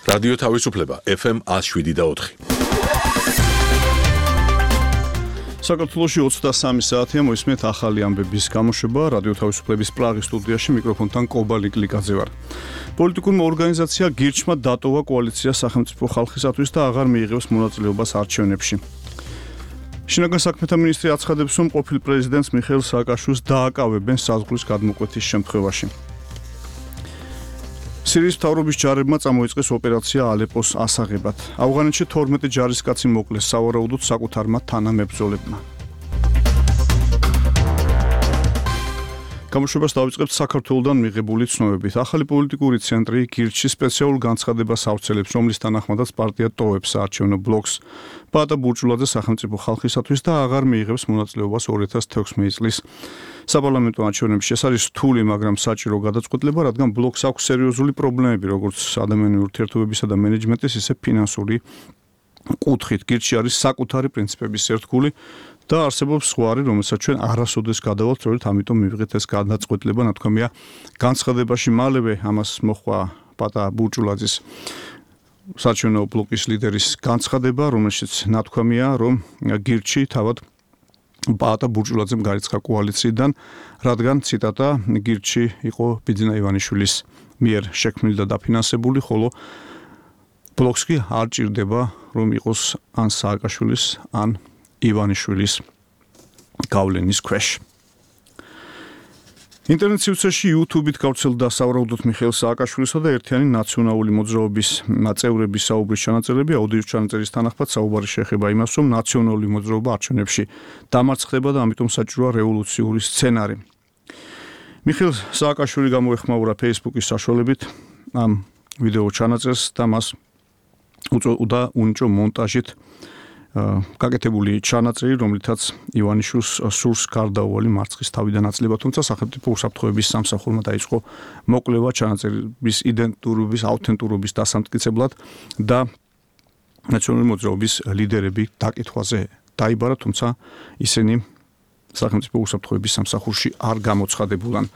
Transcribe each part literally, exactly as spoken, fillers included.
რადიო თავისუფლება ეფ ემ ათს შვიდი და ოთხი. საქართველოში ოცდასამი საათია მოისმენთ ახალი ამბების გამოშვება რადიო თავისუფლების პრაღის სტუდიაში მიკროფონთან კობალი კლიკაძე ვარ. პოლიტიკურმა ორგანიზაცია გირჩმა დატოვა კოალიცია სახელმწიფო ხალხისათვის და აღარ მიიღებს მონაწილეობას არჩევნებში. შინაგან საქმეთა მინისტრი აცხადებს, რომ ყოფილ პრეზიდენტს მიხეილ სააკაშვილს დააკავებენ საზღვრის გადმოკვეთის შემთხვევაში. სირიის მთავრობის ჯარებმა წამოიწყეს ოპერაცია ალეპოს ასაღებად. ავღანეთში თორმეტი ჯარისკაცი მოკლეს სავარაუდოდ საკუთარმა თანამებრძოლებმა. გამოშვებას დავიწყებთ საქართველოდან მიღებული ცნობებით. ახალი პოლიტიკური ცენტრი გირჩი სპეციალურ განცხადებას ავრცელებს, რომლის თანახმადაც პარტია ტოვებს საარჩევნო ბლოკს. ბატა ბურჭულაძე სახელმწიფო ხალხისათვის და აღარ მიიღებს მონაწილეობას ორი ათას თექვსმეტი წლის საპარლამენტო არჩევნებში. ეს არის რთული, მაგრამ საჭირო გადაწყვეტილება, რადგან ბლოკს აქვს სერიოზული პრობლემები, როგორც ადამიანური ურთიერთობებისა და მენეჯმენტის, ისე ფინანსური კუთხით. გირჩი არის საკუთარი პრინციპების ერთგული და არსებობს ზღვარი, რომელსაც ჩვენ არასოდეს გადავალთ, სწორედ ამიტომ მივიღეთ ეს გადაწყვეტილება, ნათქვამია განცხადებაში. მალევე ამას მოხდა ბატა ბურჭულაძის საარჩევნო ბლოკის ლიდერის განცხადება, რომელშიც ნათქვამია, რომ გირჩი თავად ბატა ბურჭულაძემ გარიცხა კოალიციიდან, რადგან ციტატა გირჩი იყო ბიძინა ივანიშვილის მიერ შექმნილი და დაფინანსებული, ხოლო ბლოკს კი არ ჭირდება, რომ იყოს ან სააკაშვილის, ან ივანიშვილის გავლენის ქვეშ. ინტერნეტ სივრცეში YouTube-ით გავრცელდა სავარაუდოდ მიხეილ სააკაშვილისა და ერთიანი ნაციონალური მოძრაობის წევრების საუბრის ჩანაწერები. აუდიოს ჩანაწერის თანახმად საუბარი შეეხება იმას, რომ ნაციონალური მოძრაობა არჩევნებში დამარცხდება და ამიტომ საჭიროა რევოლუციური სცენარი. მიხეილ სააკაშვილი გამოეხმაურა Facebook-ის საშუალებით ამ ვიდეო ჩანაწერს და მას უწოდა უნიჭო მონტაჟით გაკეთებული ჩანაწერი, რომლითაც ივანიშვილს სურს გარდაუვალი მარცხის თავიდან აწლება, თუმცა სახელმწიფო უსაფრთხოების სამსახურმა დაიწყო მოკვლევა ჩანაწერის იდენტურობის, აუთენტურობის დასამტკიცებლად და ნაციონალური მოძრაობის ლიდერები დაკითხვაზე დაიბარა, თუმცა ისინი სახელმწიფო უსაფრთხოების სამსახურში არ გამოცხადებულან.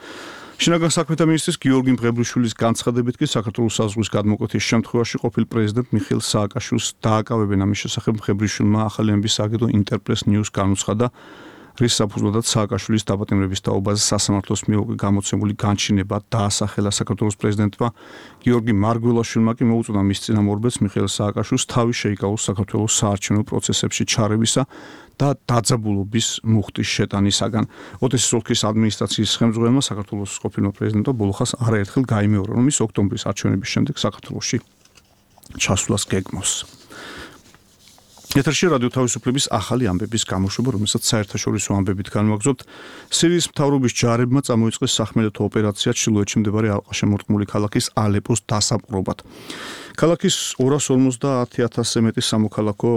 შინაგან საქმეთა მინისტრის გიორგი მღებრიშვილის განცხადებით კი საქართველოს საზღვრის გადმოკვეთის შემთხვევაში ყოფილ პრეზიდენტ მიხეილ სააკაშვილს დააკავებენ. ამის შესახებ მღებრიშვილმა ახალი ამბის სააგენტო ინტერპრეს ნიუს განუცხადა, რის საფუძვლადაც სააკაშვილის დაპატიმრების თაობაზე სასამართლოს მიერ გამოცემული განჩინება დაასახელა. საქართველოს პრეზიდენტმა გიორგი მარგველაშვილმა კი მოუწოდა მის წინამორბედს მიხეილ სააკაშვილს თავი შეიკავოს საქართველოს საარჩევნო პროცესებში ჩარევისა და დაძაბულობის მუხტის შეტანისაგან. ოდესის ოლქის ადმინისტრაციის ხელმძღვანელმა საქართველოს ყოფილმა პრეზიდენტმა ბოლოხას არაერთხელ გაიმეორა, რომ ის ოქტომბრის არჩევნების შემდეგ საქართველოში ჩასვლას გეგმავს. ეთერში რადიო თავისუფლების ახალი ამბების გამოშვება, რომელსაც საერთაშორისო ამბებით განვაგრძობთ. სირიის მთავრობის ჯარებმა წამოიწყეს სახმელეთო ოპერაცია ჩრდილოეთში მდებარე ალყაშემორტყმული ქალაქის ალეპოს დასაპყრობად. ქალაქის ორას ორმოცდაათი ათასზე მეტი სამოქალაქო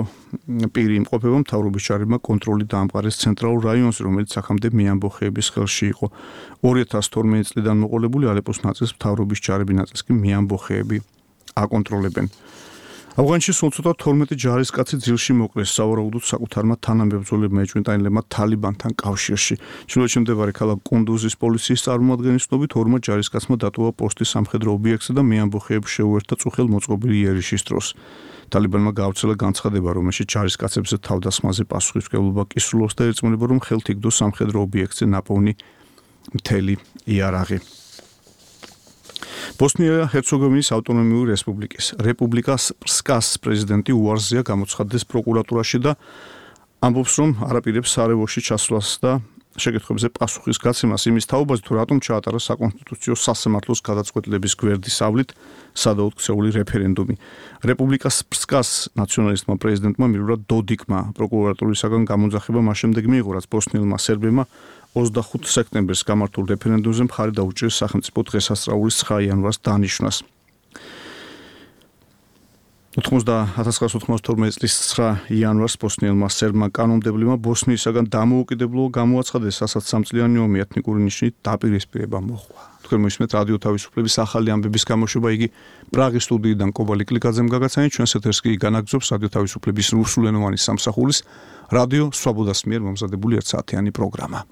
პირი იმყოფება. მთავრობის ჯარებმა კონტროლი დაამყარეს ცენტრალურ რაიონზე, რომელიც აქამდე მეამბოხეების ხელში იყო. ორი ათას თორმეტი წლიდან მოყოლებული ალეპოს ნაწილს მთავრობის ჯარები, ნაწილს კი მეამბოხეები აკონტროლებენ. ავღანეთში სულ ცოტა თორმეტი ჯარისკაცი ძილში მოკლეს სავარაუდოდ საკუთარმა თანამებრძოლებმა ეჭვმიტანილებმა თალიბანთან კავშირში. ჩრდილოეთში მდებარე ქალაქ კუნდუზის პოლიციის წარმომადგენლის ცნობით, ორმა ჯარისკაცმა დატოვა პოსტი სამხედრო ობიექტზე და მეამბოხეებს შეუერთდა წუხელ მოწყობილი იერიშის დროს. თალიბანმა გაავრცელა განცხადება, რომელშიც ჯარისკაცებზე თავდასხმაზე პასუხისმგებლობა კი სრულობს და ერწმუნება, რომ ხელთ იგდო სამხედრო ობიექტზე ნაპოვნი მთელი იარაღი. ბოსნია-ჰერცეგოვინის ავტონომიური რესპუბლიკის რესპუბლიკა სრპსკას პრეზიდენტი უარზეა გამოცხადდეს პროკურატურაში და ამბობს, რომ არაპირებს სარაევოში ჩასვლას და შეკითხვებზე პასუხის გაცემას იმის თაობაზე, თუ რატომ ჩაატარა საკონსტიტუციო სასამართლოს გადაწყვეტილების გვერდის ავლით სადავოდ ქცეული რეფერენდუმი. რესპუბლიკა სრპსკას ნაციონალისტმა პრეზიდენტმა მილურად დოდიკმა პროკურატურისაგან გამოძახება მას შემდეგ მიიღო, რაც ბოსნიელმა სერბებმა ოცდახუთი სექტემბერს გამართულ რეფერენდუმზე მხარი დაუჭირეს სახელმწიფო დღესასწაულის ცხრა იანვარს დანიშვნას. ათას ცხრაასი ოთხმოცდათორმეტი წლის ცხრა იანვარს ბოსნიელმა სერბმა კანონმდებლებმა ბოსნიისაგან დამოუკიდებლობა გამოაცხადეს, რასაც სამწლიანი ომი ეთნიკური ნიშნით დაპირისპირება მოჰყვა. თქვენ მოისმენთ რადიო თავისუფლების ახალი ამბების გამოშვება, იგი პრაღის სტუდიიდან კობალი კლიკაძემ გაგაცანით, ჩვენს ეთერს კი განაგრძობს რადიო თავისუფლების რუსულენოვანი სამსახურის რადიო სვაბოდას მიერ მომზადებული ერთსაათიანი პროგრამა.